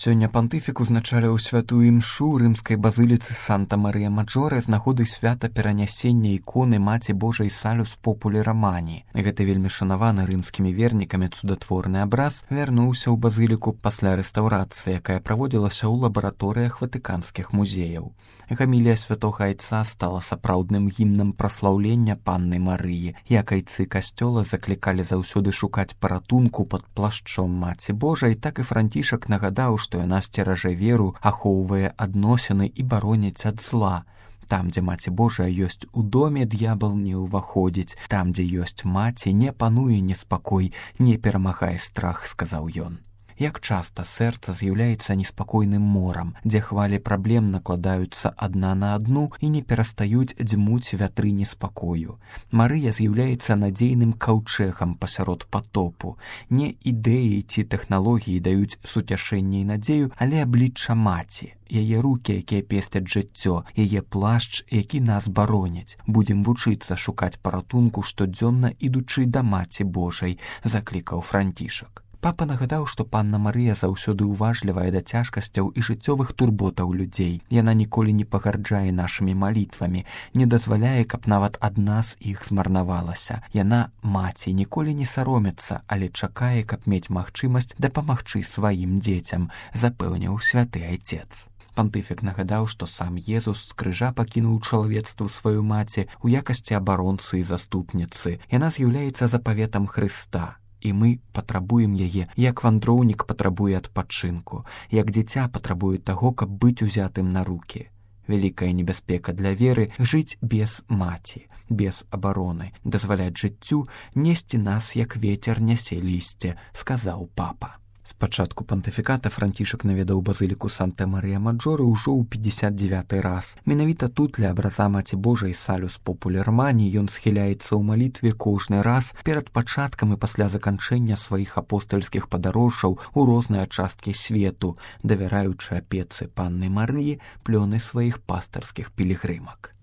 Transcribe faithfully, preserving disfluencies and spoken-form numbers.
Сёння пантыфік узначаліў святую імшу рымскай базыліцы Санта-Марыя-Маджоре з нагоды свята перанясення іконы Маці Божай Салюс Популі Романі. Гэты вельмі шанаваны рымскімі вернікамі цудатворны абраз вярнуўся ў базыліку пасля рэстаўрацыі, якая праводзілася ў лабараторыях ватыканскіх музеяў. Гамілія святога айца стала сапраўдным гімнам праслаўлення Панны Марыі. Як айцы касцёла заклікалі заўсёды шукаць паратунку пад плашчом Маці Божай, так і Францішак нагадаў, што яна сцеражэ веру, ахоўвае адносіны і бароніць ад зла. Там, дзе Маці Божая ёсць у доме, д'ябал не ўваходзіць. Там, дзе ёсць маці, не пануе неспакой, не перамагае страх, сказаў ён. Як часта сэрца з'яўляецца неспакойным морам, дзе хвалі праблем накладаюцца адна на адну і не перастаюць дзьмуць вятры неспакою. Марыя з'яўляецца надзейным каўчэгам пасярод патопу. Не ідэі ці тэхналогіі даюць суцяшэнне і надзею, але аблічча маці. Яе рукі, якія песцяць жыццё, яе плашч, які нас бароняць. Будзем вучыцца шукаць паратунку штодзённа, ідучы да Маці Божай, заклікаў Францішак. Папа нагадаў, што Панна Марыя заўсёды ўважлівая да цяжкасцяў і жыццёвых турботаў людзей. Яна ніколі не пагарджае нашымі малітвамі, не дазваляе, каб нават ад нас іх змарнавалася. Яна, маці, ніколі не саромецца, але чакае, каб мець магчымасць дапамагчы сваім дзецям, запэўніў святы айцец. Пантыфік нагадаў, што сам Езус з крыжа пакінуў чалавецтву сваю маці ў якасці абаронцы і заступніцы. Яна з'яўляецца запаветам Хрыста. І мы патрабуем яе, як вандроўнік патрабуе адпачынку, як дзіця патрабуе таго, каб быць узятым на рукі. Вялікая небяспека для веры — жыць без маці, без абароны, дазваляць жыццю несці нас, як вецер нясе лісце, сказаў папа. З пачатку пантыфіката Францішак наведаў базыліку Санта-Марыя-Маджоре ўжо ў пятьдесят девяты раз. Менавіта тут ля абраза Маці Божай Салюс Популі Романі ён схіляецца ў малітве кожны раз перад пачаткам і пасля заканчэння сваіх апостальскіх падарожжаў у розныя часткі свету, давяраючы апецы Панны Марыі плёны сваіх пастырскіх пілігрымак.